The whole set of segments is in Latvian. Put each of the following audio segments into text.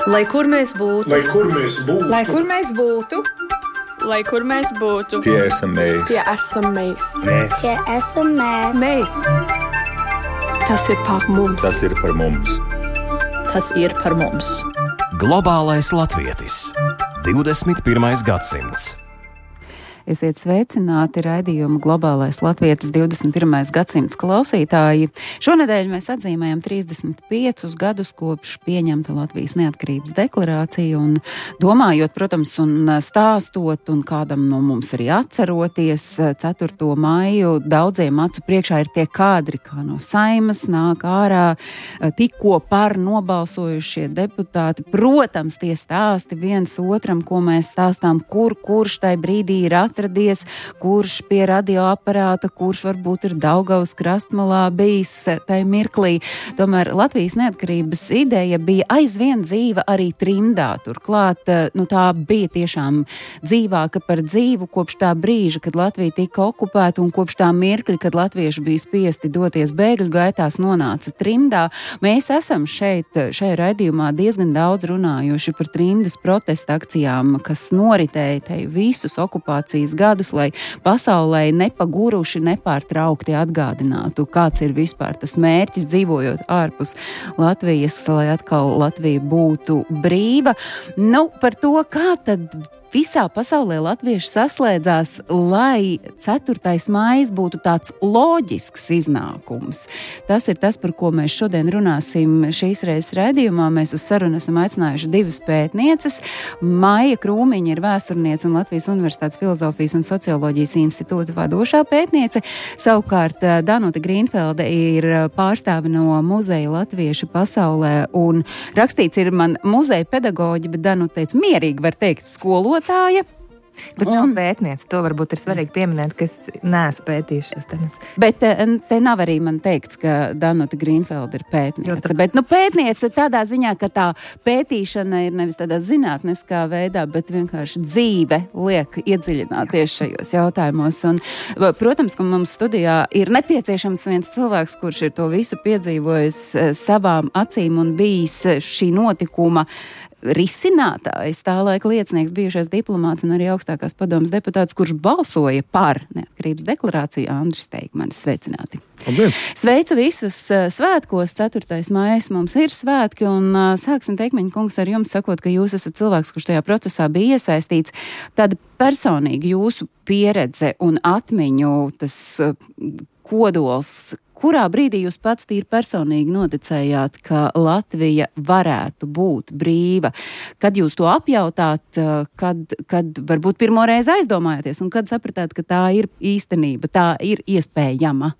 Lai kur mēs būtu, lai kur mēs būtu, lai kur mēs būtu, lai kur mēs būtu, tie esam mēs. tie esam mēs. Tie esam mēs. Mēs. Tas ir par mums. Tas ir par mums. tas ir par mums. Globālais latvietis. 21. gadsimts. Esiet sveicināti raidījuma Globālais latvietis 21. gadsimts klausītāji. Šonedēļ mēs atzīmējam 35 gadus kopš pieņemta Latvijas neatkarības deklarācija un domājot, protams, un stāstot un kādam no mums arī atceroties 4. maiju daudziem acu priekšā ir tie kadri, kā no Saimas nāk ārā tikko par nobalsojušie deputāti. Protams, tie stāsti viens otram, ko mēs stāstām, kurš tai brīdī ir atradies, kurš pie radioaparāta, kurš varbūt ir Daugavas krastmalā bijis tai mirklī. Tomēr Latvijas neatkarības ideja bija aizvien dzīva arī trimdā. Turklāt, tā bija tiešām dzīvāka par dzīvu kopš tā brīža, kad Latvija tika okupēta un kopš tā mirkļa, kad latvieši bija spiesti doties bēgļu gaitās, nonāca trimdā. Mēs esam šajā raidījumā diezgan daudz runājuši par trimdas protesta akcijām, kas noritēja te visus okupācijas gadus, lai pasaulē nepaguruši, nepārtraukti atgādinātu, kāds ir vispār tas mērķis dzīvojot ārpus Latvijas, lai atkal Latvija būtu brīva. Par to, kā tad visā pasaulē latvieši saslēdzās, lai 4. maijs būtu tāds loģisks iznākums. Tas ir tas, par ko mēs šodien runāsim šīs reizes raidījumā. Mēs uz sarunu esam aicinājuši 2 pētnieces. Maija Krūmiņa ir vēsturniece un Latvijas Universitātes Filozofijas un Socioloģijas institūta vadošā pētniece. Savukārt Danuta Grīnfelde ir pārstāve no muzeja Latvieši pasaulē un rakstīts ir man muzeja pedagoģi, bet Danuta teica, mierīgi var teikt skolotāja. Bet nav pētniece, to varbūt ir svarīgi pieminēt, ka es neesmu pētījuši šos temats. Bet te nav arī man teikts, ka Danuta Grīnfelde ir pētniece. Bet pētniece tādā ziņā, ka tā pētīšana ir nevis tādā zinātniskā veidā, bet vienkārši dzīve liek iedziļināties šajos jautājumos. Un, protams, ka mums studijā ir nepieciešams viens cilvēks, kurš ir to visu piedzīvojis savām acīm un bijis šī notikuma risinātājs, tā laika liecinieks, bijušais diplomāts un arī augstākās padomas deputāts, kurš balsoja par neatkarības deklarāciju, Andris Teikmanis. Sveicināti! Labdien. Sveicu visus svētkos, 4. maijs mums ir svētki, un sāksim, Teikmaņa kungs, ar jums sakot, ka jūs esat cilvēks, kurš tajā procesā bija iesaistīts. Tāda personīgi jūsu pieredze un atmiņu, tas kodols, kurā brīdī jūs pats tīri personīgi noticējāt, ka Latvija varētu būt brīva? Kad jūs to apjautāt, kad varbūt pirmo reizi aizdomājāties un kad sapratāt, ka tā ir īstenība, tā ir iespējama?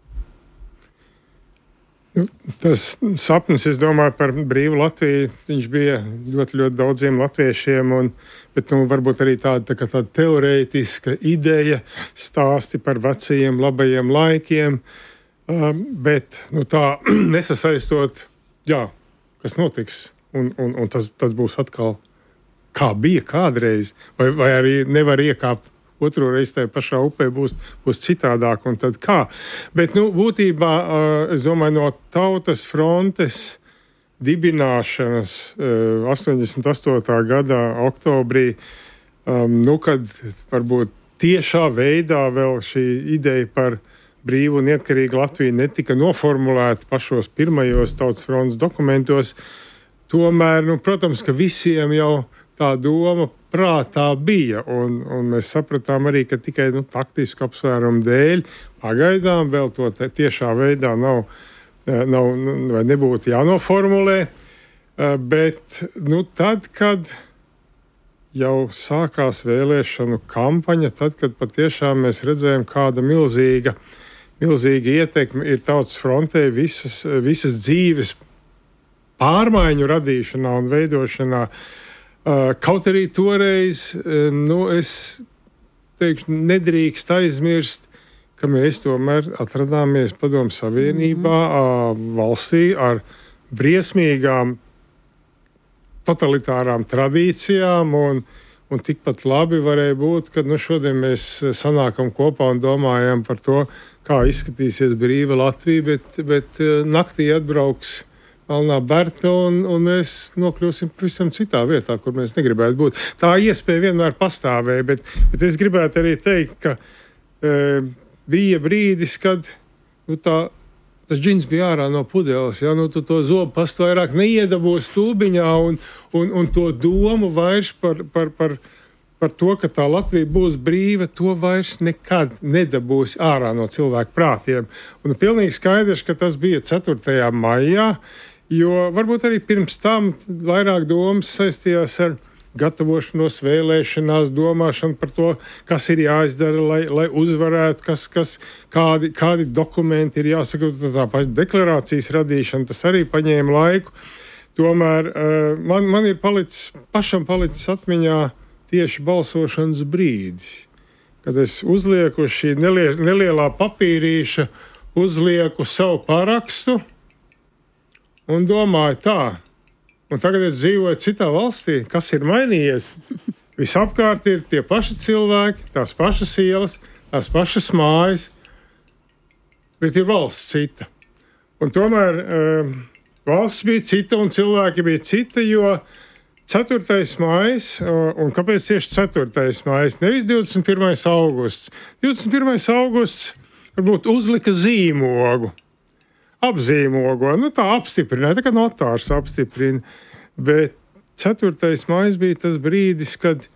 Tas sapnis, es domāju, par brīvu Latviju, viņš bija ļoti, ļoti daudziem latviešiem, bet varbūt arī tāda teorētiska ideja, stāsti par vecajiem, labajiem laikiem, bet tā nesasaistot, kas notiks, un tas būs atkal kā bija kādreiz, vai arī nevar iekāpt otru reizi tajā pašā upē, būs citādāk, un tad kā. Bet, būtībā, es domāju, no Tautas frontes dibināšanas 88. gada oktobrī, kad varbūt tiešā veidā vēl šī ideja par brīvu un neatkarīgu Latviju netika noformulēta pašos pirmajos Tautas frontes dokumentos. Tomēr, protams, ka visiem jau tā doma prātā bija, un mēs sapratām arī, ka tikai taktisku apsvērumu dēļ pagaidām vēl to tiešā veidā nav vai nebūtu jānoformulē, bet tad, kad jau sākās vēlēšanu kampaņa, tad, kad patiešām mēs redzējām, kāda milzīga ietekme ir Tautas frontē visas dzīves pārmaiņu radīšanā un veidošanā. Kaut arī toreiz, es teikšu, nedrīkst aizmirst, ka mēs tomēr atradāmies Padomu Savienībā, valstī ar briesmīgām totalitārām tradīcijām, un tikpat labi varēja būt, ka šodien mēs sanākam kopā un domājam par to, kā izskatīsies brīva Latvija, bet naktī atbrauks Alnā Berta, un mēs nokļūsim pavisam citā vietā, kur mēs negribētu būt. Tā iespēja vienmēr pastāvēja, bet es gribētu arī teikt, ka bija brīdis, kad tas džins bija ārā no pudeles, ja, tu to zobu pastu vairāk neiedabūs tūbiņā, un to domu vairs par to, ka tā Latvija būs brīva, to vairs nekad nedabūs ārā no cilvēku prātiem. Un pilnīgi skaidrs, ka tas bija 4. maijā, jo varbūt arī pirms tam vairāk domas saistījās ar gatavošanos, vēlēšanās, domāšanu par to, kas ir jāizdara, lai uzvarētu, kādi dokumenti ir jāsaka. Tā paša deklarācijas radīšana, tas arī paņēma laiku. Tomēr man ir pašam palicis atmiņā tieši balsošanas brīdis, kad es uzlieku šī nelielā papīrīša, uzlieku savu parakstu un domāju tā. Un tagad es dzīvoju citā valstī, kas ir mainījies. Visapkārt ir tie paši cilvēki, tās pašas ielas, tās pašas mājas, bet ir valsts cita. Un tomēr valsts bija cita un cilvēki bija cita, jo 4. maijs, un kāpēc tieši 4. maijs, nevis 21. augusts. 21. augusts varbūt uzlika zīmogu, apzīmogo, tā apstiprināja, tā kā notārs apstiprina, bet 4. maijs bija tas brīdis, kad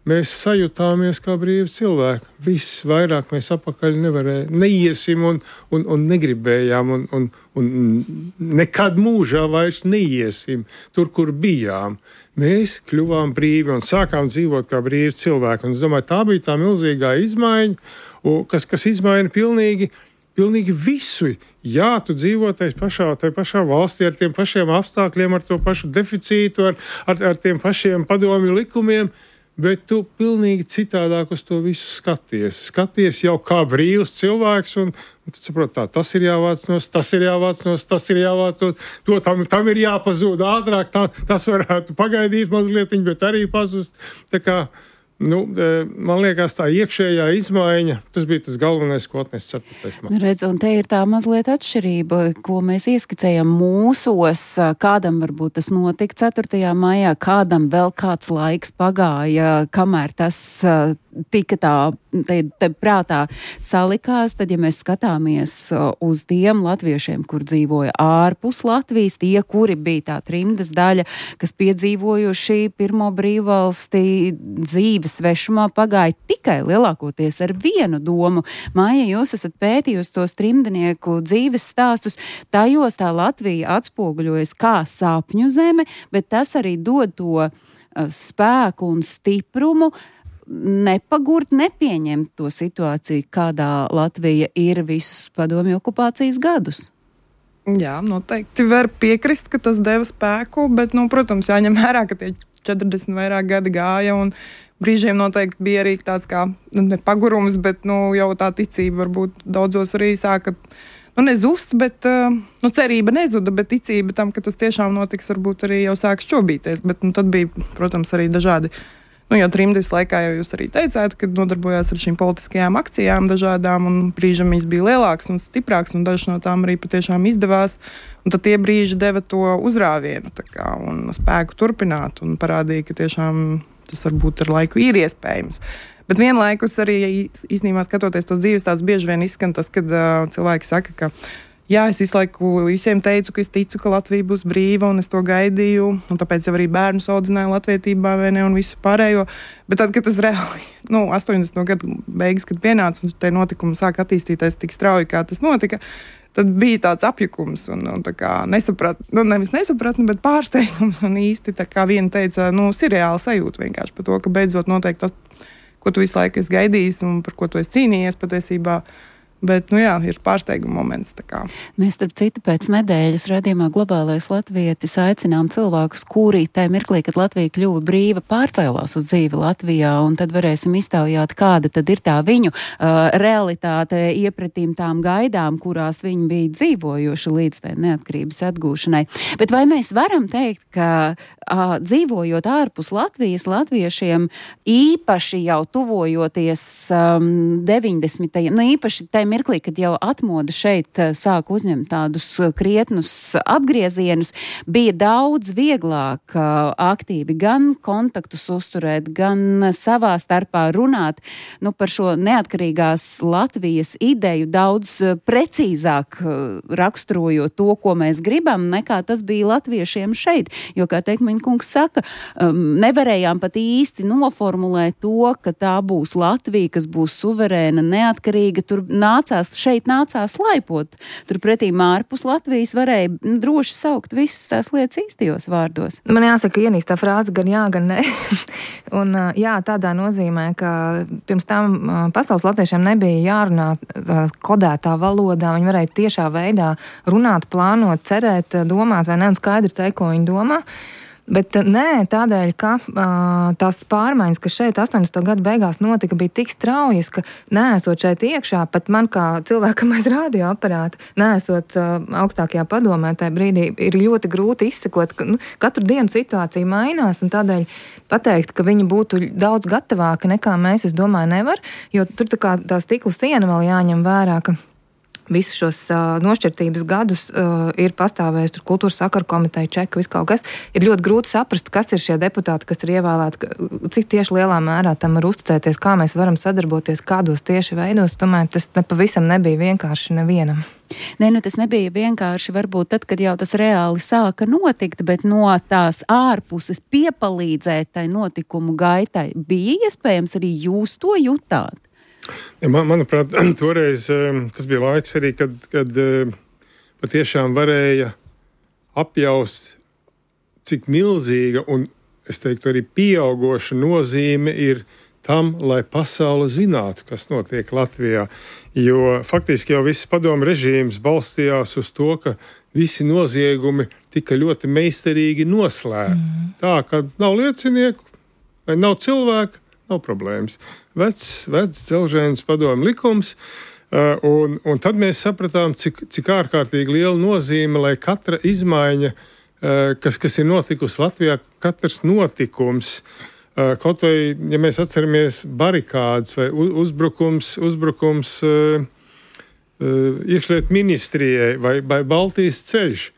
mēs sajutāmies kā brīvi cilvēki. Viss vairāk mēs apakaļ neiesim un negribējām un nekad mūžā vairs neiesim tur, kur bijām. Mēs kļuvām brīvi un sākām dzīvot kā brīvi cilvēki. Un es domāju, tā bija tā milzīgā izmaiņa, kas izmaina pilnīgi visu. Jā, tu dzīvo tajā pašā valstī ar tiem pašiem apstākļiem, ar to pašu deficītu, ar tiem pašiem padomju likumiem, bet tu pilnīgi citādāk uz to visu skaties. Skaties jau kā brīvs cilvēks, un tu saproti, tas ir jāvāc nost, tas ir jāvāc nost, tas ir jāvāc nost, tam ir jāpazūd ātrāk, tas varētu pagaidīt mazliet, bet arī pazust. Tā kā, man liekas, tā iekšējā izmaiņa, tas bija tas galvenais, ko atnes 4. maijā. Redz, un te ir tā mazliet atšķirība, ko mēs ieskicējam mūsos, kādam varbūt tas notika 4. maijā, kādam vēl kāds laiks pagāja, kamēr tas tika te prātā salikās, tad, ja mēs skatāmies uz tiem latviešiem, kur dzīvoja ārpus Latvijas, tie, kuri bija tā trimdas daļa, kas piedzīvojuši pirmo brīvvalsti dzīves svešumā, pagāja tikai lielākoties ar vienu domu. Maija, jūs esat pētījusi tos trimdnieku dzīves stāstus, tajos tā Latvija atspoguļojas kā sapņu zeme, bet tas arī dod to spēku un stiprumu, nepagurt, nepieņemt to situāciju, kādā Latvija ir visus padomju okupācijas gadus. Jā, noteikti var piekrist, ka tas deva spēku, bet, protams, jāņem vērā, ka tie 40 vairāk gadi gāja, un brīžiem noteikti bija arī tāds kā, ne pagurums, bet, jau tā ticība varbūt daudzos arī sāka, nezust, bet, cerība nezuda, bet ticība tam, ka tas tiešām notiks, varbūt arī jau sāk šķobīties, bet, tad bija, protams, arī dažādi. Jau trimdas laikā jau jūs arī teicāt, ka nodarbojās ar šīm politiskajām akcijām dažādām, un brīžam viņas bija lielāks un stiprāks, un dažas no tām arī patiešām izdevās. Un tad tie brīži deva to uzrāvienu un spēku turpināt, un parādīja, ka tiešām tas varbūt ar laiku ir iespējams. Bet vienlaikus arī īstenībā skatoties tos dzīves, tās bieži vien izskan tas, kad cilvēki saka, ka jā, es visu laiku visiem teicu, ka es ticu, ka Latvija būs brīva, un es to gaidīju, un tāpēc jau arī bērnus audzināju latvietībā, un visu pārējo. Bet tad, kad tas reāli, 80. gadu beigas, kad pienāca, un tie notikumi sāk attīstīties tik strauji, kā tas notika, tad bija tāds apjukums, un tā kā nevis nesapratni, bet pārsteigums, un īsti tā kā viena teica, sirreāli sajūta vienkārši par to, ka beidzot notiek tas, ko tu visu laiku esi gaidījis, un par ko tu esi cīnījies patiesībā. Bet, ir pārsteiguma moments. Mēs, starp citu, pēc nedēļas raidījumā Globālais latvietis aicinām cilvēkus, kuri tajā mirklī, kad Latvija kļuva brīva, pārcēlās uz dzīvi Latvijā, un tad varēsim iztaujāt, kāda tad ir tā viņu realitāte iepratīm tām gaidām, kurās viņi bija dzīvojuši līdz tai neatkarības atgūšanai. Bet vai mēs varam teikt, ka dzīvojot ārpus Latvijas, latviešiem īpaši jau tuvojoties 90. īpaši tajā mirklī, kad jau atmoda šeit sāk uzņemt tādus krietnus apgriezienus, bija daudz vieglāk aktīvi gan kontaktus uzturēt, gan savā starpā runāt par šo neatkarīgās Latvijas ideju, daudz precīzāk raksturojot to, ko mēs gribam, nekā tas bija latviešiem šeit. Jo, kā Teikmeņa kungs saka, nevarējām pat īsti noformulēt to, ka tā būs Latvija, kas būs suverēna, neatkarīga. Tur šeit nācās laipot. Turpretī ārpus Latvijas varēja droši saukt visas tās lietas īstajos vārdos. Man jāsaka, ienīstā frāze gan jā, gan ne. Un jā, tādā nozīmē, ka pirms tam pasaules latviešiem nebija jārunā kodētā valodā. Viņi varēja tiešā veidā runāt, plānot, cerēt, domāt vai ne, un skaidri teikt, ko viņi domā. Bet nē, tādēļ, ka tās pārmaiņas, kas šeit 80. gadu beigās notika, bija tik straujas, ka neesot šeit iekšā, pat man kā cilvēkam aiz radioaparāta, neesot augstākajā padomē tajā brīdī, ir ļoti grūti izsekot, ka katru dienu situācija mainās, un tādēļ pateikt, ka viņi būtu daudz gatavāki nekā mēs, es domāju, nevar, jo tur tā stikla siena vēl jāņem vērā, ka visus šos nošķirtības gadus ir pastāvējis tur kultūras sakaru komiteja, čeka, viss kaut kas. Ir ļoti grūti saprast, kas ir šie deputāti, kas ir ievēlēti, cik tieši lielā mērā tam var uzticēties, kā mēs varam sadarboties, kādos tieši veidos. Tomēr tas pavisam nebija vienkārši nevienam. Nē, tas nebija vienkārši varbūt tad, kad jau tas reāli sāka notikt, bet no tās ārpuses piepalīdzēt tai notikumu gaitai bija iespējams arī jūs to jutāt? Ja, manuprāt, toreiz tas bija laiks arī, kad patiešām varēja apjaust, cik milzīga un, es teiktu, arī pieaugoša nozīme ir tam, lai pasaule zinātu, kas notiek Latvijā. Jo faktiski jau viss padomu režīms balstījās uz to, ka visi noziegumi tika ļoti meistarīgi noslēpti. Tā, ka nav liecinieku vai nav cilvēku, nav problēmas. Vecs dzelžēns padomu likums, un tad mēs sapratām, cik ārkārtīgi liela nozīme, lai katra izmaiņa, kas ir notikusi Latvijā, katrs notikums, kaut vai, ja mēs atceramies barikādes vai uzbrukums iekšlietu ministrijai vai Baltijas ceļš,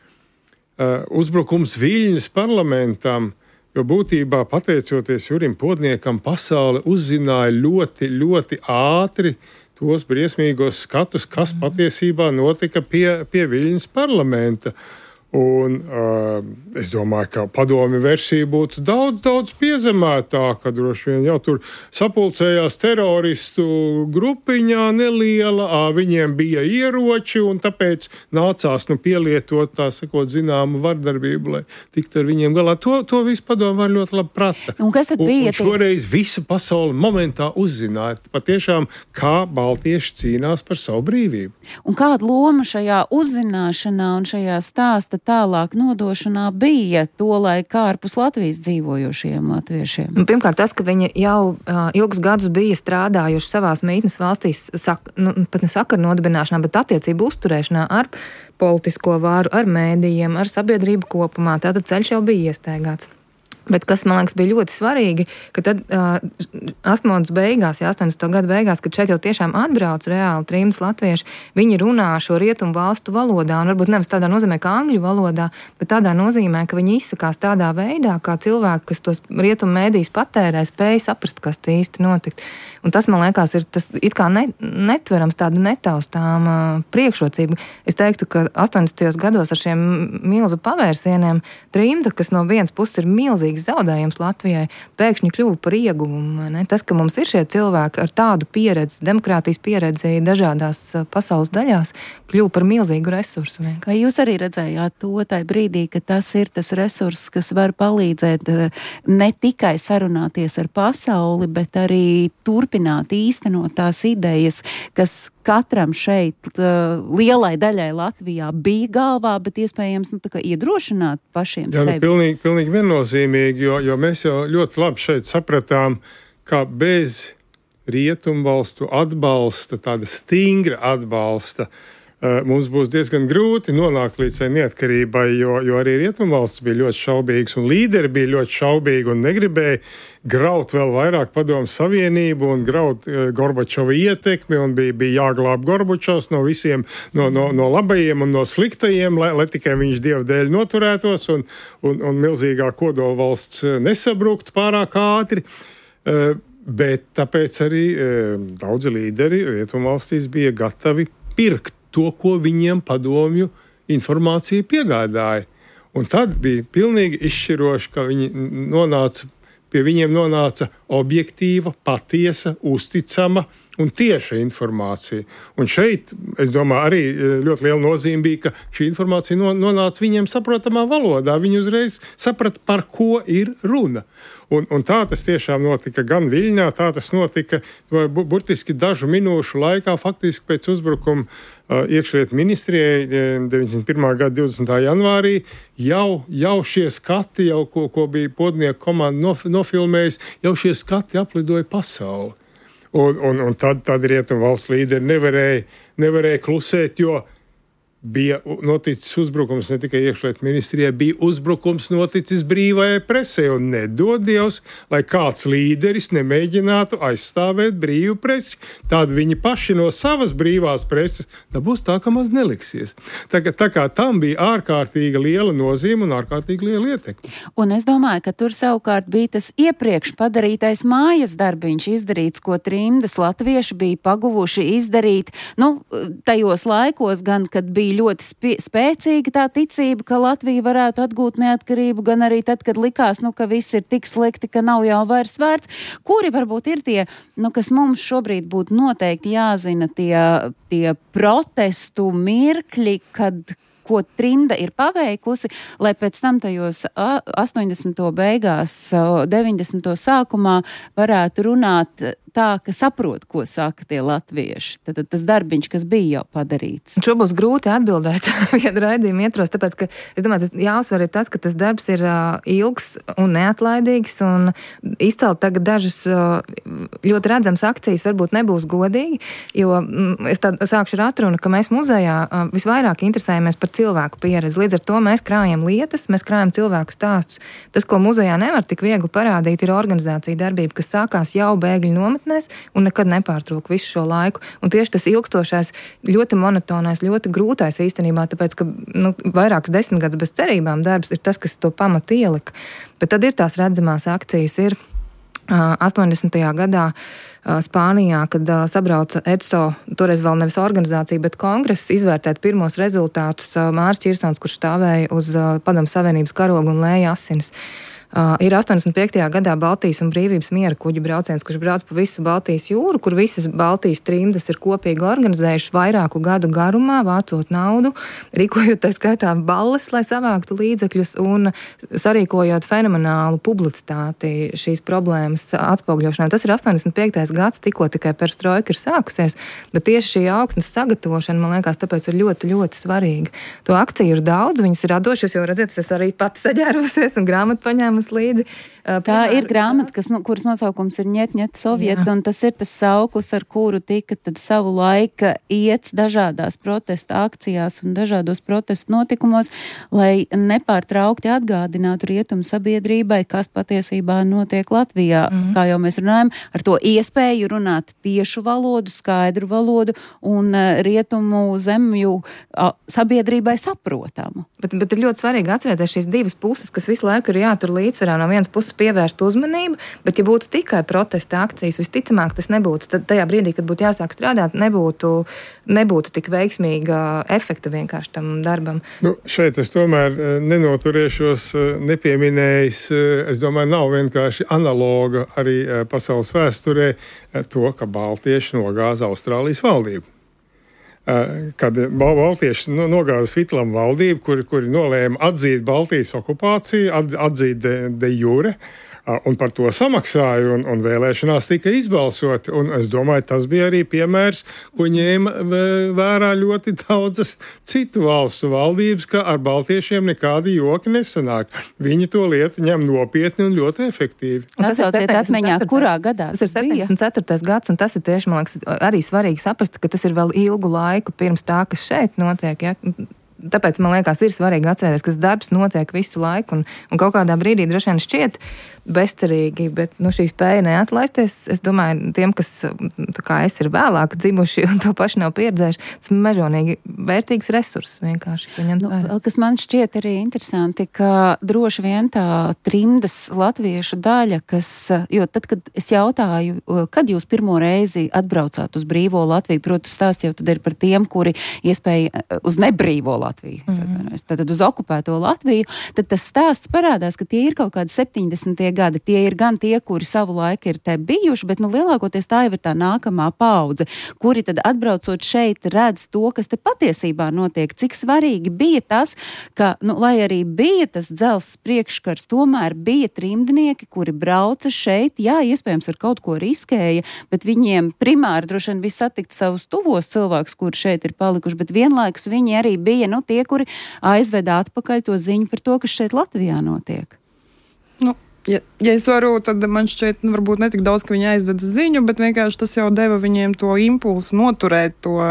uzbrukums Viļņas parlamentam, jo būtībā, pateicoties Jurim Podniekam, pasaule uzzināja ļoti, ļoti ātri tos briesmīgos skatus, kas patiesībā notika pie Viļņas parlamenta. Un es domāju, ka padomju versija būtu daudz piezemētāka, droši vien jau tur sapulcējās teroristu grupiņā neliela, viņiem bija ieroči un tāpēc nācās pielietot, tā sakot, zināmu vardarbību, lai tiktu ar viņiem galā. To visu padomu var ļoti labi prata. Un kas tad bija? Un šoreiz visa pasaule momentā uzzināja patiešām, kā baltieši cīnās par savu brīvību. Un kāda loma šajā uzzināšanā un šajā stāsta tālāk nodošanā bija to laik ārpus Latvijas dzīvojošiem latviešiem? Pirmkārt, tas, ka viņi jau ilgus gadus bija strādājuši savās mītnes valstīs, pat ne sakaru nodibināšanā, bet attiecību uzturēšanā ar politisko vāru, ar mēdījiem, ar sabiedrību kopumā. Tātad ceļš jau bija iestaigāts. Bet kas, man liekas, bija ļoti svarīgi, ka tad 80. gadu beigās, kad šeit jau tiešām atbrauc reāli trījus latvieši, viņi runā šo rietumu valstu valodā, un varbūt nevis tādā nozīmē kā angļu valodā, bet tādā nozīmē, ka viņi izsakās tādā veidā, kā cilvēki, kas tos rietumu mēdījus patērē, spēja saprast, kas te īsti notikt. Un tas, man liekas, ir tas it kā netverams, tāda netaustām priekšrocība. Es teiktu, ka 80. gados ar šiem milzu pavērsieniem trimda, kas no vienas puses ir milzīgs zaudējums Latvijai, pēkšņi kļuva par ieguvumu. Tas, ka mums ir šie cilvēki ar tādu pieredzi, demokrātijas pieredzi dažādās pasaules daļās, kļuva par milzīgu resursu. Vai jūs arī redzējāt to tajā brīdī, ka tas ir tas resurss, kas var palīdzēt ne tikai sarunāties ar pasauli, bet arī turpināt īstenot tās idejas, kas katram šeit, lielai daļai Latvijā bija galvā, bet iespējams iedrošināt pašiem sevi? Pilnīgi viennozīmīgi, jo mēs jau ļoti labi šeit sapratām, ka bez rietumvalstu atbalsta, tāda stingra atbalsta, mums būs diezgan grūti nonākt līdz neatkarībai, jo arī Rietumvalstis bija ļoti šaubīgas un līderi bija ļoti šaubīgi un negribēja graut vēl vairāk Padomu Savienību un graut Gorbačova ietekmi un bija jāglāb Gorbačovs no visiem, no labajiem un no sliktajiem, lai tikai viņš Dieva dēļ noturētos un milzīgā kodolvalsts nesabruktu pārāk ātri. Bet tāpēc arī daudzi līderi Rietumvalstīs bija gatavi pirkt to, ko viņiem padomju informācija piegādāja. Un tad bija pilnīgi izšķiroši, ka pie viņiem nonāca objektīva, patiesa, uzticama un tieša informācija. Un šeit, es domāju, arī ļoti liela nozīme bija, ka šī informācija nonāca viņiem saprotamā valodā. Viņi uzreiz saprata, par ko ir runa. Un tā tas tiešām notika gan Viļņā, tā tas notika burtiski dažu minūšu laikā, faktiski pēc uzbrukuma iekšlietu ministrijai 91. gada 20. janvārī, jau šie skati, ko bija Podnieku komanda nofilmējusi, jau šie skati aplidoja pasauli. Un tad Rietumvalstu līderi nevarēja klusēt, jo bija noticis uzbrukums ne tikai iekšlietu ministrijai, bija uzbrukums noticis brīvajai presē, un nedod Dievs, lai kāds līderis nemēģinātu aizstāvēt brīvu presi. Tad viņi paši no savas brīvās preses dabūs tā, ka maz neliksies. Tā kā tam bija ārkārtīgi liela nozīme un ārkārtīgi liela ietekme. Un es domāju, ka tur savukārt bija tas iepriekš padarītais mājas darbiņš izdarīts, ko trimdas latvieši bija paguvuši izdarīt, tajos laikos gan, kad bija ļoti spēcīga tā ticība, ka Latvija varētu atgūt neatkarību, gan arī tad, kad likās, ka viss ir tik slikti, ka nav jau vairs vērts. Kuri varbūt ir tie, kas mums šobrīd būtu noteikti jāzina, tie protestu mirkļi, ko trimda ir paveikusi, lai pēc tam tajos 80. beigās, 90. sākumā varētu runāt tā, ka saprot, ko saka tie latvieši. Tad tas darbiņš, kas bija jau padarīts. Šo būs grūti atbildēt vienu raidījumu ietvaros, tāpēc, ka es domāju, jāuzsver ir tas, ka tas darbs ir ilgs un neatlaidīgs, un izcelt tagad dažas ļoti redzams akcijas varbūt nebūs godīgi, jo es sākšu ar atrunu, ka mēs muzejā visvairāk interesējamies par cilvēku pieredzi. Līdz ar to mēs krājam lietas, mēs krājam cilvēku stāstus. Tas, ko muzejā nevar tik viegli parādīt, ir organizācija darbība, kas sākās jau bēgļu nometnēs un nekad nepārtrūk visu šo laiku. Un tieši tas ilgstošais, ļoti monotonais, ļoti grūtais īstenībā, tāpēc, ka vairākas desmitgadus bez cerībām darbs ir tas, kas to pamatu ielika. Bet tad ir tās redzamās akcijas, ir 80. gadā Spānijā, kad sabrauca EDSO, toreiz vēl nevis organizācija, bet kongress, izvērtēt pirmos rezultātus. Māris Čirsons, kurš stāvēja uz Padomu Savienības karogu un lēja asinis. Ir 85. gadā Baltijas un brīvības miera kuģu brauciens, kurš brauc pa visu Baltijas jūru, kur visas Baltijas trimdas ir kopīgi organizējuši vairāku gadu garumā, vācot naudu, rīkojot tā skaitā balles, lai savāktu līdzekļus un sarīkojot fenomenālu publicitāti šīs problēmas atspogļošanai. Tas ir 85. gads, tikko tikai perestroika ir sākusies, bet tieši šī augsnes sagatavošana, man liekas, tāpēc ir ļoti, ļoti svarīga. To akciju ir daudz, viņas ir radošas, jo redziet, es arī pati saģērvusies un grāmatu paņēmu līdzi. Tā ir grāmata, kuras nosaukums ir Ņet Sovieta, un tas ir tas sauklis, ar kuru tika tad savu laika iets dažādās protesta akcijās un dažādos protestu notikumos, lai nepārtraukti atgādinātu rietumu sabiedrībai, kas patiesībā notiek Latvijā. Kā jau mēs runājam, ar to iespēju runāt tiešu valodu, skaidru valodu un rietumu zemju sabiedrībai saprotamu. Bet ir ļoti svarīgi atcerēties šīs divas puses, kas visu laiku ir jātur līdzsvarā. No vienas puses pievērst uzmanību, bet ja būtu tikai protesta akcijas, visticamāk tas nebūtu. Tad tajā brīdī, kad būtu jāsāk strādāt, nebūtu tik veiksmīga efekta vienkārši tam darbam. Šeit es tomēr nenoturēšos nepieminējis, es domāju, nav vienkārši analoga arī pasaules vēsturē to, ka baltieši nogāza Austrālijas valdību. Kad baltieši nogāza Svitlam valdību, kuri nolēma atzīt Baltijas okupāciju, atzīt de jure, Un par to samaksāja, un vēlēšanās tika izbalsoti. Un es domāju, tas bija arī piemērs, ko ņēma vērā ļoti daudzas citu valstu valdības, ka ar baltiešiem nekādi joki nesanāk. Viņi to lietu ņem nopietni un ļoti efektīvi. Atsauciet atmiņā, kurā gadā tas bija? 74. gads, un tas ir tieši, man liekas, arī svarīgi saprast, ka tas ir vēl ilgu laiku pirms tā, kas šeit notiek, ja? Tāpēc, man liekas, ir svarīgi atcerēties, ka tas darbs notiek visu laiku, un kaut kādā brīdī droši vien šķiet bezcerīgi, bet šī spēja neatlaisties, es domāju, tiem, kas, tā kā es, ir vēlāk dzimuši un to paši nav pieredzējuši, tas mežonīgi vērtīgs resurss vienkārši, ko ņemt vērā. Kas man šķiet arī interesanti, ka droši vien tā trimdas latviešu daļa, kas, jo tad, kad es jautāju, kad jūs pirmo reizi atbraucāt uz brīvo Latviju, protams, stāsts jau tad ir par tiem, kuri iespēja uz nebrīvo Latviju, tad uz okupēto Latviju, tad tas stāsts parādās, ka tie ir kaut kādi 70. gadi. Tie ir gan tie, kuri savu laiku ir te bijuši, bet lielākoties tā jau ir tā nākamā paudze, kuri tad atbraucot šeit redz to, kas te patiesībā notiek. Cik svarīgi bija tas, ka, lai arī bija tas dzelzs priekškars, tomēr bija trimdnieki, kuri brauca šeit, jā, iespējams ar kaut ko riskēja, bet viņiem primāri droši vien bija satikt savus tuvos cilvēkus, kuri šeit ir palikuši, bet vienlaikus viņi arī bija, tie, kuri aizveda atpakaļ to ziņu par to, kas šeit Latvijā notiek. Ja es varu, tad man šķiet, varbūt ne tik daudz, ka viņi aizveda ziņu, bet vienkārši tas jau deva viņiem to impulsu noturēt to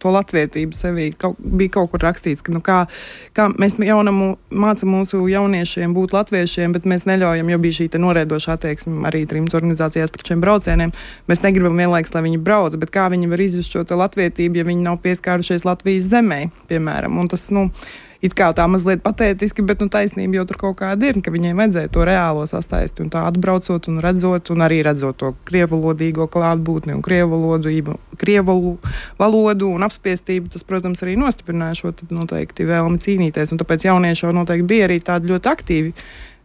latvietību sevī. Bija kaut kur rakstīts, ka kā mēs mācam mūsu jauniešiem būt latviešiem, bet mēs neļaujam, jo bija šī norēdoša attieksme arī trimdas organizācijās par šiem braucieniem. Mēs negribam vienlaiks, lai viņi brauc, bet kā viņi var izjust šo latvietību, ja viņi nav pieskārušies Latvijas zemē, piemēram. Un tas, it kā tā mazliet patētiski, bet taisnība jau tur kaut kāda ir, ka viņiem vajadzēja to reālo sastaisti un tā atbraucot un redzot, un arī redzot to krievalodīgo klātbūtni un krievu valodu un apspiestību, tas, protams, arī nostiprināja šo noteikti vēlmi cīnīties, un tāpēc jaunieši jau noteikti bija arī tādi ļoti aktīvi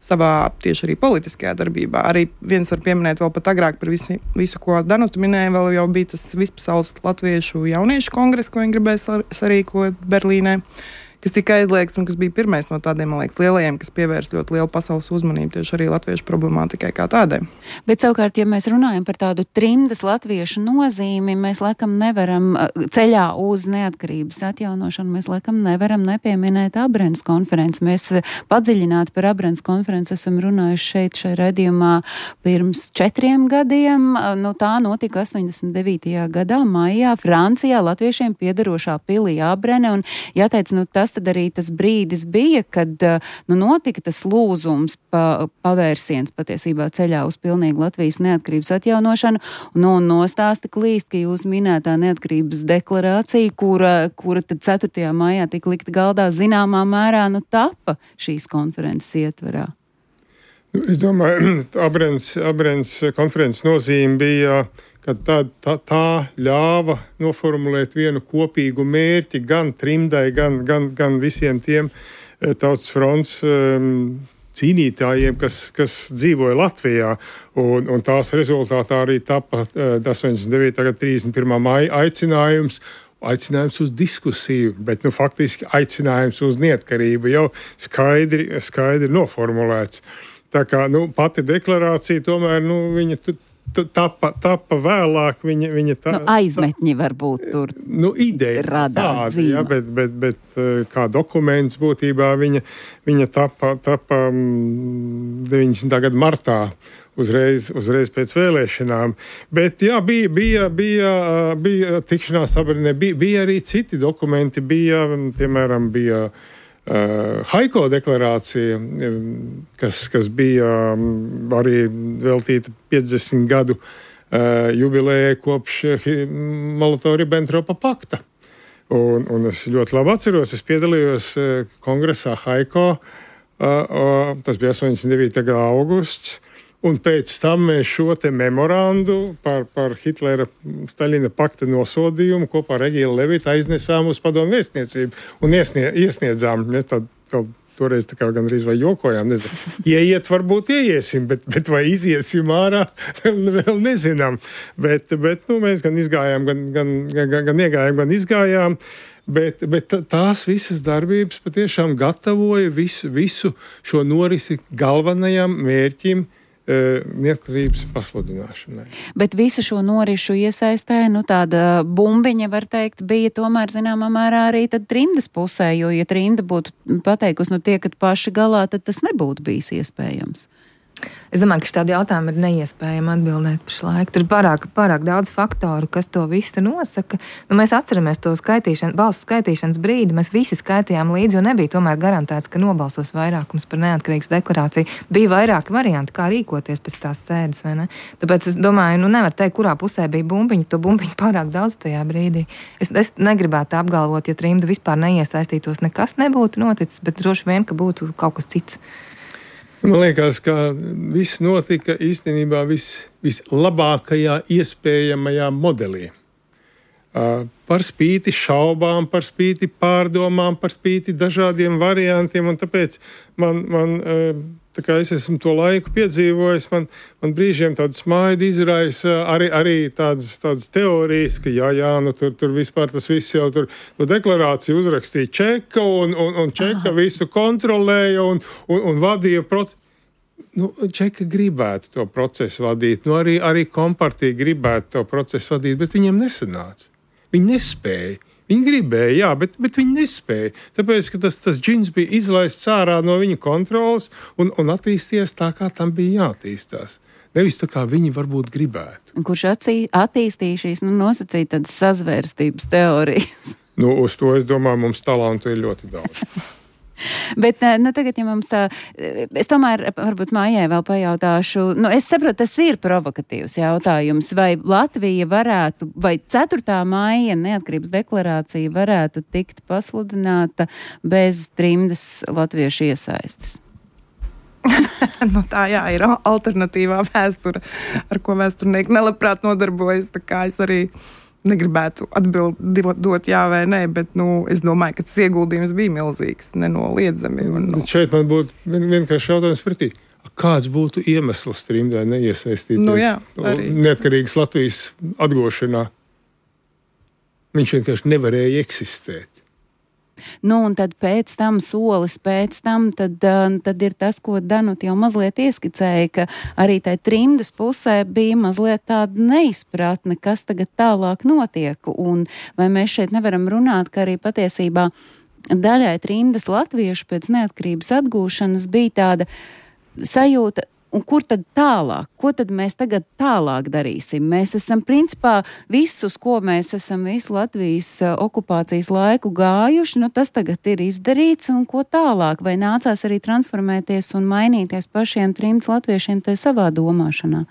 savā tieši arī politiskajā darbībā. Arī viens var pieminēt vēl pat agrāk par visu, ko Danuta minēja, vēl jau bija tas vispasaules latviešu jauniešu kongress, ko viņi gribēja sarīkot Berlīnē, kas tika aizliegts un kas bija pirmais no tādiem, man liekas, lielajiem, kas pievērs ļoti lielu pasaules uzmanību tieši arī latviešu problemātikai kā tādai. Bet savukārt, ja mēs runājam par tādu trimdas latviešu nozīmi, mēs laikam nevaram ceļā uz neatkarības atjaunošanu, mēs laikam nevaram nepieminēt Abrenes konferenci. Mēs padziļināti par Abrenes konferenci esam runājuši šai raidījumā pirms 4 gadiem. Tā notika 89. gadā, maijā, Francijā, latviešiem piederošā pilī Abrene, un jāteic, tas tad arī tas brīdis bija, kad notika tas lūzums, pavērsiens patiesībā ceļā uz pilnīgu Latvijas neatkarības atjaunošanu, un nostāsta klīst, ka jūs minētā neatkarības deklarācija, kura tad 4. maijā tika likta galdā, zināmā mērā tapa šīs konferences ietverā. Es domāju, Abrenes konferences nozīme bija, ka tā ļāva noformulēt vienu kopīgu mērķi gan trimdai, gan visiem tiem tautas fronts cīnītājiem, kas dzīvoja Latvijā. Un tās rezultātā arī tapa 89. gada 31. maija aicinājums uz diskusiju, bet faktiski aicinājums uz neatkarību jau skaidri noformulēts. Tā kā pati deklarācija tomēr viņa tapa vēlāk, viņa tā... aizmetņi varbūt tur ideja radās tāda, bet kā dokuments būtībā viņa tapa 90. gada martā, uzreiz pēc vēlēšanām. Bet jā, bija tikšanās Abrenē, bija arī citi dokumenti, piemēram, bija Haiko deklarācija, kas bija arī veltīta 50 gadu jubilejai kopš Molotova-Ribbentropa pakta. Un es ļoti labi atceros, es piedalījos kongresā Haiko, tas bija 89. gada augusts, un pēc tam mēs šo te memorandu par Hitlera Staļina pakta nosodījumu kopā ar Egilu Levitu aiznesām uz padomu vēstniecību un iesniedzām. Mēs toreiz tā kā gandrīz vai jokojām, nezinu. Ieiet varbūt ieiesim, bet vai iziesim ārā, vēl nezinām. Bet mēs gan izgājām, gan iegājām, gan izgājām. Bet tās visas darbības patiešām gatavoja visu šo norisi galvenajam mērķim neatkarības pasludināšanai. Bet visu šo norišu iesaistē, tāda bumbiņa, var teikt, bija tomēr zināmā mērā arī tad trimdas pusē, jo, ja trimda būtu pateikusi, tiekat paši galā, tad tas nebūtu bijis iespējams. Es domāju, ka šādi jautājumi ir neiespējami atbildēt pašlaik. Tur ir pārāk daudz faktoru, kas to visu nosaka. Mēs atceramies to balsu skaitīšanas brīdi. Mēs visi skaitījām līdzi, jo nebija tomēr garantēts, ka nobalsos vairākums par neatkarīgas deklarāciju. Bija vairāki varianti, kā rīkoties pēc tās sēdes, vai ne? Tāpēc es domāju, nevar teikt, kurā pusē bija bumbiņa. To bumbiņu pārāk daudz tajā brīdī. Es negribētu apgalvot, ja trimda vispār neiesaistītos, nekas nebūtu noticis, bet droši vien, ka būtu kaut kas cits. Man liekas, ka viss notika īstenībā vislabākajā iespējamajā modelī. Par spīti šaubām, par spīti pārdomām, par spīti dažādiem variantiem, un tāpēc tā kā es esmu to laiku piedzīvojis, man brīžiem tādu smaidu izraisa arī tādas teorijas, ka tur vispār tas viss jau tur deklarāciju uzrakstīja Čeka, un Čeka visu kontrolēja un vadīja procesu. Čeka gribētu to procesu vadīt, arī kompartija gribētu to procesu vadīt, bet viņiem nesanāca. Viņi nespēja. Viņi gribēja, bet viņi nespēja. Tāpēc, ka tas džins bija izlaists ārā no viņa kontrolas un attīstījies tā, kā tam bija jāattīstās. Nevis tā, kā viņi varbūt gribētu. Kurš attīstīja šīs nosacīja tādas sazvērstības teorijas? Uz to, es domāju, mums talantu ir ļoti daudz. Bet tagad, ja mums tā, es tomēr varbūt Maijai vēl pajautāšu, es saprotu, tas ir provokatīvs jautājums, vai Latvija varētu, vai 4. maija neatkarības deklarācija varētu tikt pasludināta bez trimdas latviešu iesaistes? Tā ir alternatīvā vēsture, ar ko vēsturnieki nelabprāt nodarbojas, tā kā es arī negribētu dot jā vai nē, bet es domāju, ka tas ieguldījums bija milzīgs, nenoliedzami. Šeit man būtu vienkārši jautājums pretī. Kāds būtu iemesls trimdai neiesaistīties neatkarīgas Latvijas atgošanā? Viņš vienkārši nevarēja eksistēt. Un tad pēc tam solis, tad ir tas, ko Danuta jau mazliet ieskicēja, ka arī tai trimdas pusē bija mazliet tāda neizpratne, kas tagad tālāk notiek, un vai mēs šeit nevaram runāt, ka arī patiesībā daļai trimdas latviešu pēc neatkarības atgūšanas bija tāda sajūta, un kur tad tālāk? Ko tad mēs tagad tālāk darīsim? Mēs esam principā visus, ko mēs esam visu Latvijas okupācijas laiku gājuši, tas tagad ir izdarīts, un ko tālāk? Vai nācās arī transformēties un mainīties pašiem trimdas latviešiem tai savā domāšanā?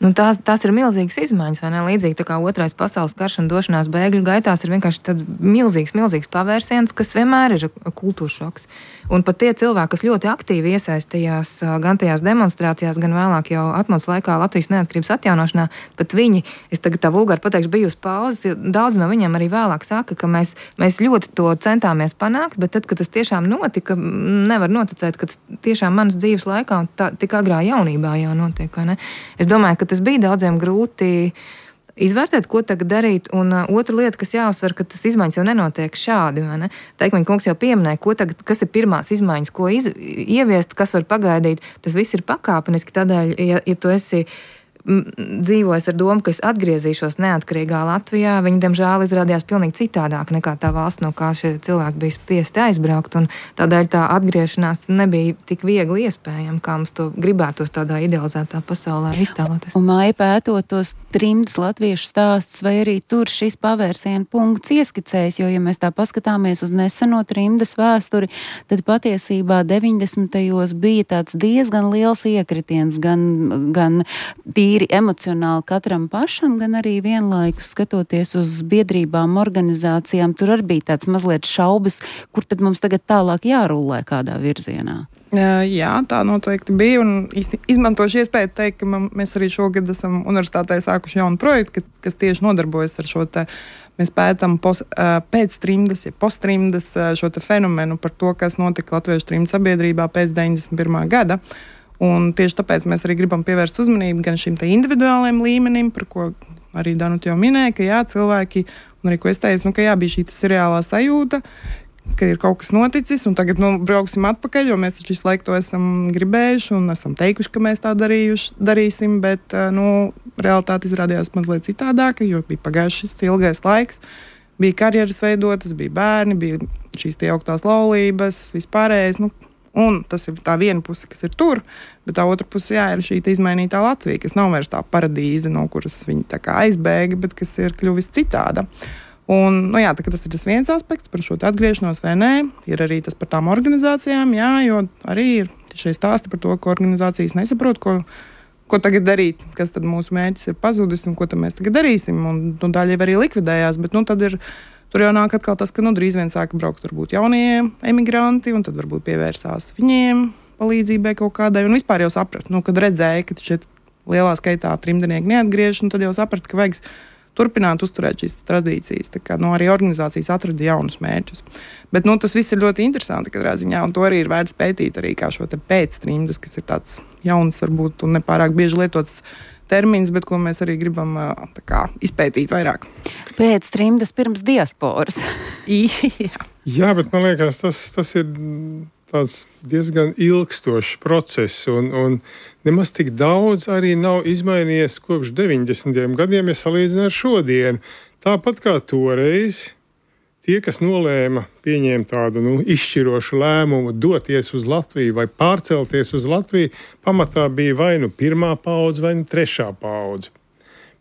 Tās ir milzīgas izmaiņas, vai ne? Līdzīgi tā kā Otrais pasaules karš un došanās bēgļu gaitās ir vienkārši tad milzīgs pavērsiens, kas vienmēr ir kultūras šoks. Un pat tie cilvēki, kas ļoti aktīvi iesaistījās gan tajās demonstrācijās, gan vēlāk jau atmodas laikā Latvijas neatkarības atjaunošanā, pat viņi, es tagad tā vulgāri pateikšu, bija uz pauzes, jo daudz no viņiem arī vēlāk saka, ka mēs ļoti to centāmies panākt, bet tad, kad tas tiešām notika, nevar noticēt, ka tas tiešām manas dzīves laikā un tik agrā jaunībā jau notiek, vai ne? Es domāju, ka tas bija daudziem grūti izvērtēt, ko tagad darīt, un otra lieta, kas jāuzsver, ka tas izmaiņas jau nenotiek šādi, vai ne? Teikmeņa kungs jau pieminēja, kas ir pirmās izmaiņas, ko ieviest, kas var pagaidīt, tas viss ir pakāpeniski, tādēļ, ja tu esi dzīvojis ar domu, ka es atgriezīšos neatkarīgā Latvijā, viņi, diemžēl, izrādījās pilnīgi citādāk nekā tā valsts, no kā šie cilvēki bija spiesti aizbraukt, un tādēļ tā atgriešanās nebija tik viegli iespējama, kā mums to gribētos tādā idealizētā pasaulē iztēloties. Un Maija pētot tos trimdas latviešu stāstus, vai arī tur šis pavērsiena punkts ieskicējas, jo, ja mēs tā paskatāmies uz neseno trimdas vēsturi, tad patiesībā 90. bija tāds diezgan liels iekritiens, gan tīri emocionāli katram pašam, gan arī vienlaikus skatoties uz biedrībām, organizācijām, tur arī bija tāds mazliet šaubas, kur tad mums tagad tālāk jārullē kādā virzienā. Jā, tā noteikti bija, un izmantošu iespēju teikt, ka mēs arī šogad esam universitātē sākuši jaunu projektu, kas tieši nodarbojas ar šo te, mēs pētam pēc trimdas, ja post-trimdas šo te fenomenu par to, kas notika latviešu trimdas sabiedrībā pēc 91. gada. Un tieši tāpēc mēs arī gribam pievērst uzmanību gan šim te individuālajiem līmenim, par ko arī Danuta jau minēja, ka jā, cilvēki, un arī ko es teicu, ka jā, bija šī seriālā sajūta, ka ir kaut kas noticis, un tagad brauksim atpakaļ, jo mēs taču visu laiku to esam gribējuši un esam teikuši, ka mēs tā darīsim, bet realitāte izrādījās mazliet citādāka, jo bija pagājušas ilgais laiks, bija karjeras veidotas, bija bērni, bija šīs tie augtās laulības, vispārējais, un tas ir tā viena puse, kas ir tur, bet tā otra puse, ir šī izmainītā Latvija, kas nav vairs tā paradīze, no kuras viņi tā kā aizbēga, bet kas ir kļuvis citāda. Un, tas ir tas viens aspekts par šo atgriešanos vai nē, ir arī tas par tām organizācijām, jo arī ir šie stāsti par to, ka organizācijas nesaprot, ko tagad darīt, kas tad mūsu mērķis ir pazudis un ko tad mēs tagad darīsim, un daļa arī likvidējās, bet tad ir tur jau nāk atkal tas, ka drīz vien sāka braukt varbūt jaunie emigranti, un tad varbūt pievērsās viņiem palīdzībai kaut kādai, un vispār jau saprat, kad redzēja, ka šeit lielā skaitā trimdnieki neatgriež, tad jau saprat, ka vajag turpināt uzturēt šīs tradīcijas. Tā kā arī organizācijas atrada jaunus mērķus. Bet tas viss ir ļoti interesanti katrā ziņā, un to arī ir vērts pētīt arī kā šo te pēctrimdas, kas ir tāds jauns varbūt un nepārāk bieži lietots termins, bet ko mēs arī gribam izpētīt vairāk. Pēc trimdas pirms diasporas. Jā, bet man liekas, tas ir tāds diezgan ilgstošs process, un nemaz tik daudz arī nav izmainījies kopš 90. gadiem, ja salīdzina ar šodienu. Tāpat kā toreiz, tie, kas nolēma pieņemt tādu izšķirošu lēmumu doties uz Latviju vai pārcelties uz Latviju, pamatā bija vai pirmā paudze vai trešā paudze.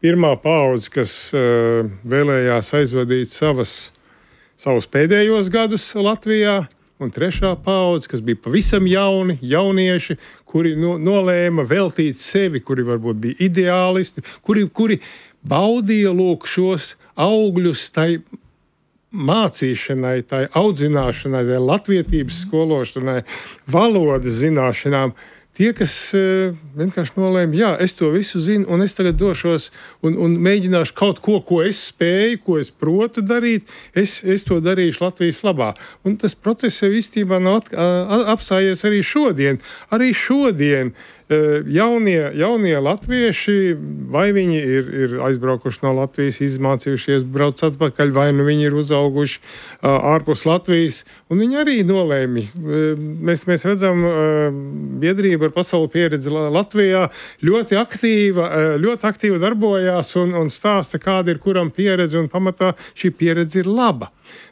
Pirmā paudze, kas vēlējās aizvadīt savus pēdējos gadus Latvijā, un trešā paudze, kas bija pavisam jaunieši, kuri nolēma veltīt sevi, kuri varbūt bija ideālisti, kuri baudīja šos augļus tai mācīšanai, tai audzināšanai, tai latvietības skološanai, valodas zināšanām. Tie, kas vienkārši nolēma, es to visu zinu, un es tagad došos un mēģināšu kaut ko es spēju, ko es protu darīt, es to darīšu Latvijas labā. Un tas process jau īstenībā nav apstājies arī šodien. Arī šodien jaunie latvieši, vai viņi ir aizbraukuši no Latvijas, izmācījušies, brauc atpakaļ, vai viņi ir uzauguši ārpus Latvijas, un viņi arī nolēmi. Mēs redzam, biedrība ar pasaules pieredzi Latvijā ļoti aktīvi darbojās un stāsta, kāda ir kuram pieredze, un pamatā šī pieredze ir laba.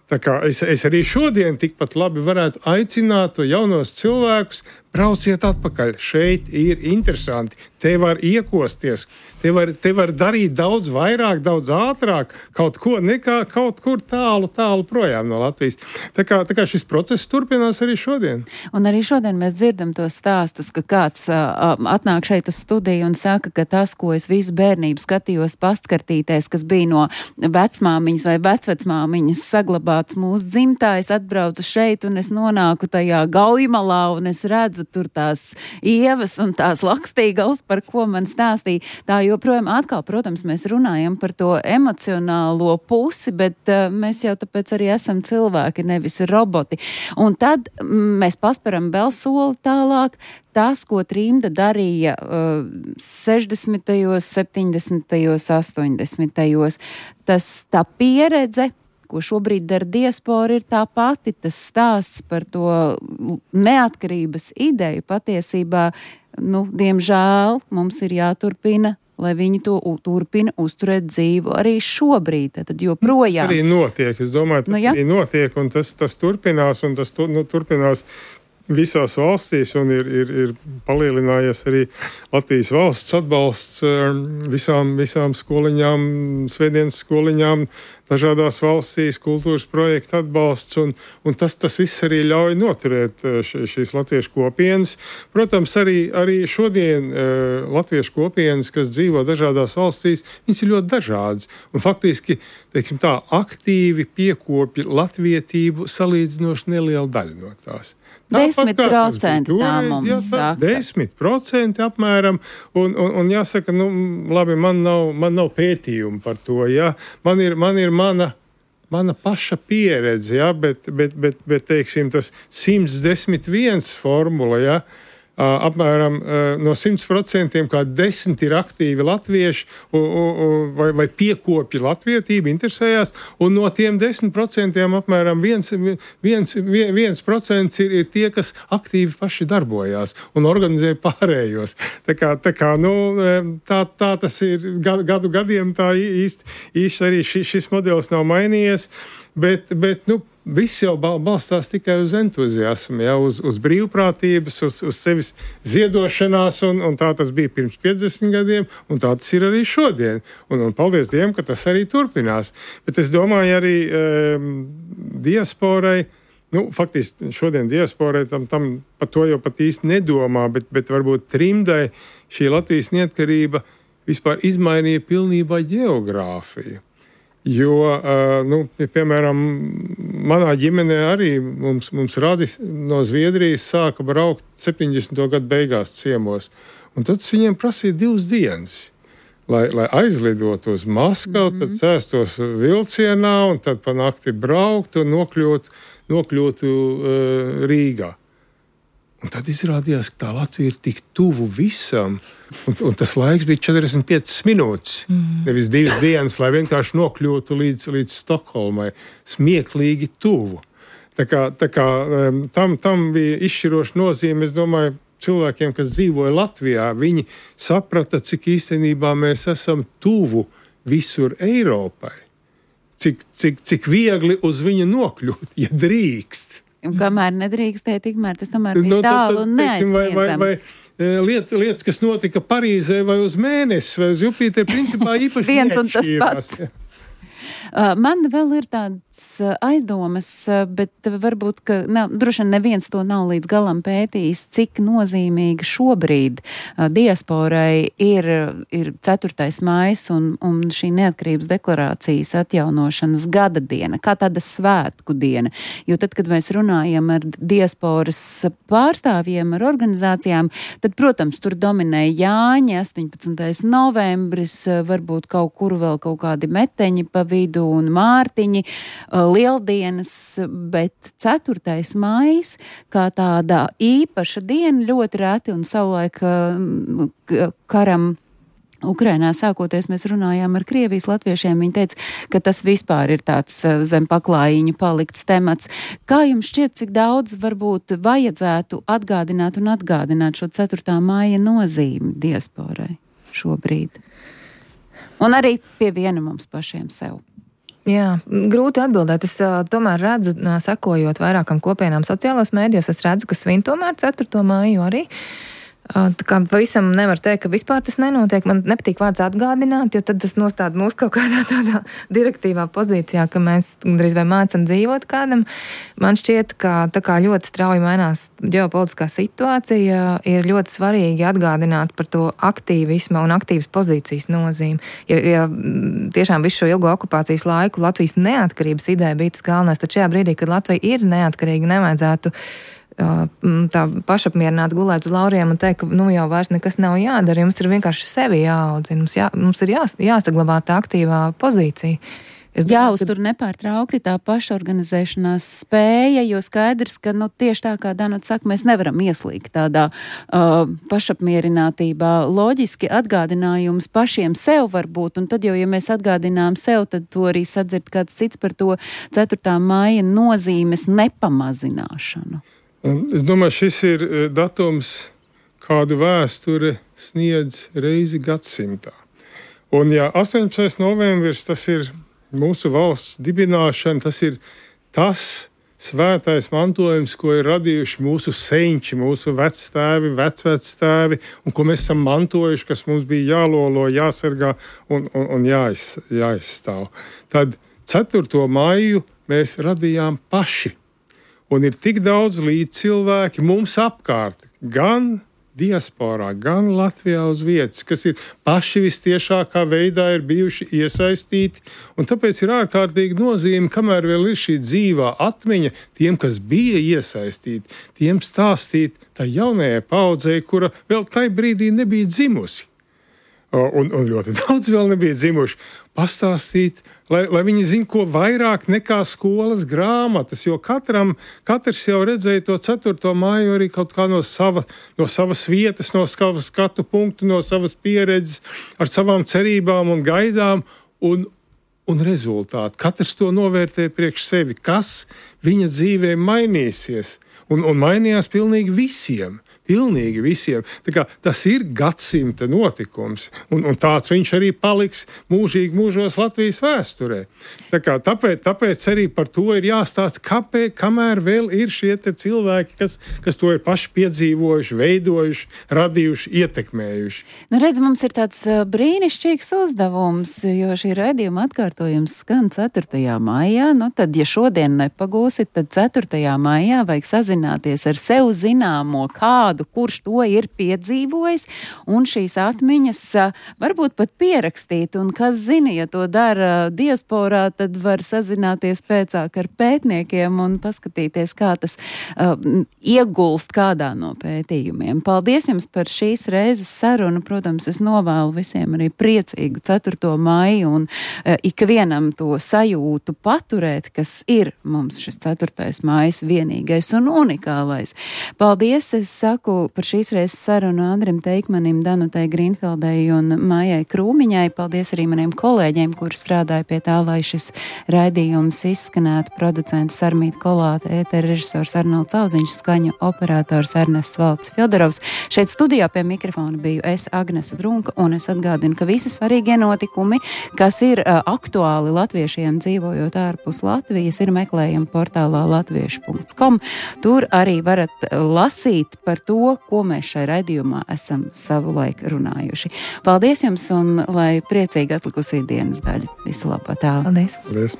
Tā kā es arī šodien tikpat labi varētu aicināt to jaunos cilvēkus, brauciet atpakaļ. Šeit ir interesanti. Te var iekosties. Te var darīt daudz vairāk, daudz ātrāk kaut ko nekā kaut kur tālu projām no Latvijas. Tā kā šis process turpinās arī šodien. Un arī šodien mēs dzirdam tos stāstus, ka kāds atnāk šeit uz studiju un saka, ka tas, ko es visu bērnību skatījos pastkartītēs, kas bija no vecmāmiņas vai vecvecmāmiņas saglabāts mūsu dzimtājs, atbraucu šeit un es nonāku tajā Gaujamalā un es redzu tur tās ievas un tās lakstīgals, par ko man stāstīja. Tā joprojām atkal, protams, mēs runājam par to emocionālo pusi, bet mēs jau tāpēc arī esam cilvēki, nevis roboti. Un tad mēs pasparam vēl soli tālāk. Tas, ko trimda darīja 60., 70., 80., tā pieredze, ko šobrīd dara diaspora, ir tā pati. Tas stāsts par to neatkarības ideju patiesībā, diemžēl mums ir jāturpina, lai viņi to turpina uzturēt dzīvu arī šobrīd, tad joprojām. Tas arī notiek, es domāju, arī notiek, un tas turpinās, un tas turpinās visās valstīs, un ir palielinājies arī Latvijas valsts atbalsts visām skoliņām, svētdienas skoliņām, dažādās valstīs, kultūras projektu atbalsts, un tas viss arī ļauj noturēt šīs latviešu kopienas. Protams, arī šodien latviešu kopienas, kas dzīvo dažādās valstīs, viņas ir ļoti dažādas, un faktiski, teiksim tā, aktīvi piekopja latvietību salīdzinoši neliela daļa no tās. 10% tā mums saka. 10% apmēram, un jāsaka, labi, man nav pētījumu par to, ja. Man ir mana paša pieredze, ja, bet teiksim, tas 111 formula, ja, apmēram no 100% kā 10 ir aktīvi latvieši vai piekopja latvietību, interesējās, un no tiem 10% apmēram 1% ir tie, kas aktīvi paši darbojās un organizē pārējos. Tā tas ir gadiem, tā īsti arī šis modelis nav mainījies, bet viss jau balstās tikai uz entuziasmu, uz brīvprātības, uz sevis ziedošanās, un tā tas bija pirms 50 gadiem, un tā tas ir arī šodien. Un paldies Dievam, ka tas arī turpinās. Bet es domāju arī diasporai, faktiski šodien diasporai tam par to jau pat īsti nedomā, bet varbūt trimdai šī Latvijas neatkarība vispār izmainīja pilnībā ģeogrāfiju. Jo, piemēram, manā ģimenē arī mums radi no Zviedrijas sāka braukt 70. gadu beigās ciemos. Un tad viņiem prasīja 2 dienas, lai aizlidotu uz Maskavu, tad sēstos vilcienā un tad pa nakti braukt un nokļūtu Rīgā. Un tad izrādījās, ka tā Latvija ir tik tuvu visam, un tas laiks bija 45 minūtes, nevis 2 dienas, lai vienkārši nokļūtu līdz Stokholmai, smieklīgi tuvu. Tā kā tam bija izšķiroša nozīme, es domāju, cilvēkiem, kas dzīvoja Latvijā, viņi saprata, cik īstenībā mēs esam tuvu visur Eiropai, cik viegli uz viņu nokļūt, ja drīkst. Un kamēr nedrīkstēja, tikmēr tas tomēr bija tālu un neaizsniedzami. Vai lietas, kas notika Parīzē vai uz Mēnesi vai uz Jupiteru, principā īpaši viens un tas pats. Man vēl ir tāds aizdomas, bet varbūt, ka droši vien neviens to nav līdz galam pētījis, cik nozīmīga šobrīd diasporai ir 4. maijs un šī neatkarības deklarācijas atjaunošanas gada diena, kā tāda svētku diena. Jo tad, kad mēs runājam ar diasporas pārstāvjiem, ar organizācijām, tad, protams, tur dominēja Jāņi, 18. novembris, varbūt kaut kur vēl kaut kādi meteņi pa vidu un mārtiņi, lieldienas, bet 4. maijs kā tāda īpaša diena ļoti reti un savulaik karam Ukrainā sākoties mēs runājām ar Krievijas latviešiem, viņi teica, ka tas vispār ir tāds zem paklājiņu palikts temats. Kā jums šķiet, cik daudz varbūt vajadzētu atgādināt šo 4. maija nozīmi diasporai šobrīd? Un arī pie viena mums pašiem sev. Jā, grūti atbildēt. Es tomēr redzu, sekojot vairākam kopienām sociālās mēdījos, es redzu, ka svin tomēr 4. māju arī. Tā kā pavisam nevar teikt, ka vispār tas nenotiek. Man nepatīk vārds atgādināt, jo tad tas nostāda mūs kaut kādā tādā direktīvā pozīcijā, ka mēs drīz vai mācam dzīvot kādam. Man šķiet, ka tā kā ļoti strauji mainās ģeopolitiskā situācija, ir ļoti svarīgi atgādināt par to aktīvisma un aktīvas pozīcijas nozīmi. Ja tiešām visu šo ilgo okupācijas laiku Latvijas neatkarības ideja bija tas galvenais, tad šajā brīdī, kad Latvija ir neatkarīga, nevajadzētu tā pašapmierināt gulēt uz lauriem un teikt, ka jau vairs nekas nav jādara, jums ir vienkārši sevi jāaudzina, mums ir jāsaglabā tā aktīvā pozīcija. Jāuztur nepārtraukti tā pašorganizēšanās spēja, jo skaidrs, ka tieši tā kā Danuta saka, mēs nevaram ieslīgt tādā pašapmierinātībā. Loģiski atgādinājums pašiem sev var būt, un tad jau, ja mēs atgādinām sev, tad to arī sadzird kāds cits par to 4. maija nozīmes nepamazināšanu. Es domāju, šis ir datums, kādu vēsture sniedz reizi gadsimtā. Un ja 18. novembris, tas ir mūsu valsts dibināšana, tas ir tas svētais mantojums, ko ir radījuši mūsu senči, mūsu vectēvi, vecvectēvi, un ko mēs esam mantojuši, kas mums bija jālolo, jāsargā un jāizstāv. Tad 4. maiju mēs radījām paši. Un ir tik daudz līdzcilvēki mums apkārt, gan diasporā, gan Latvijā uz vietas, kas ir paši vistiešākā veidā ir bijuši iesaistīti, un tāpēc ir ārkārtīgi nozīme, kamēr vēl ir šī dzīvā atmiņa tiem, kas bija iesaistīti, tiem stāstīt tā jaunajai paudzei, kura vēl tai brīdī nebija dzimusi. un ļoti daudz vēl nebija dzimuši, pastāstīt, lai viņi zina, ko vairāk nekā skolas grāmatas, jo katrs jau redzēja to 4. māju arī kaut kā no savas vietas, no savas skatu punktu, no savas pieredzes, ar savām cerībām un gaidām, un rezultāti. Katrs to novērtē priekš sevi, kas viņa dzīvē mainīsies, un mainījās pilnīgi visiem. Tā kā tas ir gadsimta notikums, un tāds viņš arī paliks mūžīgi mūžos Latvijas vēsturē. Tāpēc arī par to ir jāstāsta, kamēr vēl ir šie te cilvēki, kas to ir paši piedzīvojuši, veidojuši, radījuši, ietekmējuši. Nu, redz, mums ir tāds brīnišķīgs uzdevums, jo šī raidījuma atkārtojums skan 4. maijā, nu tad, ja šodien nepagūsit, tad 4. maijā vajag sazināties ar sev zināmo kādu, kurš to ir piedzīvojis, un šīs atmiņas varbūt pat pierakstīt, un kas zina, ja to dara diasporā, tad var sazināties pēcāk ar pētniekiem un paskatīties, kā tas iegulst kādā no pētījumiem. Paldies jums par šīs reizes sarunu. Protams, es novēlu visiem arī priecīgu 4. maiju un ikvienam to sajūtu paturēt, kas ir mums šis 4. maijs vienīgais un unikālais. Paldies, es saku par šīs reizes sarunu Andrim Teikmanim, Danutai Grīnfeldei un Mājai Krūmiņai. Paldies arī maniem kolēģiem, kuri strādāja pie tā, lai šis raidījums izskanētu. Producents Sarmīta Kolāte, ētera režisors Arnolds Auziņš, skaņu operators Ernests Valds Fjodorovs. Šeit studijā pie mikrofona biju es, Agnese Drunka, un es atgādinu, ka visi svarīgie notikumi, kas ir aktuāli latviešiem dzīvojot ārpus Latvijas, ir meklējami portālā latviešu.com. Tur arī varat lasīt par to, ko mēs šai raidījumā esam savulaik runājuši. Paldies jums un lai priecīgi atlikusī dienas daļa. Visu labu, tā. Paldies. Paldies.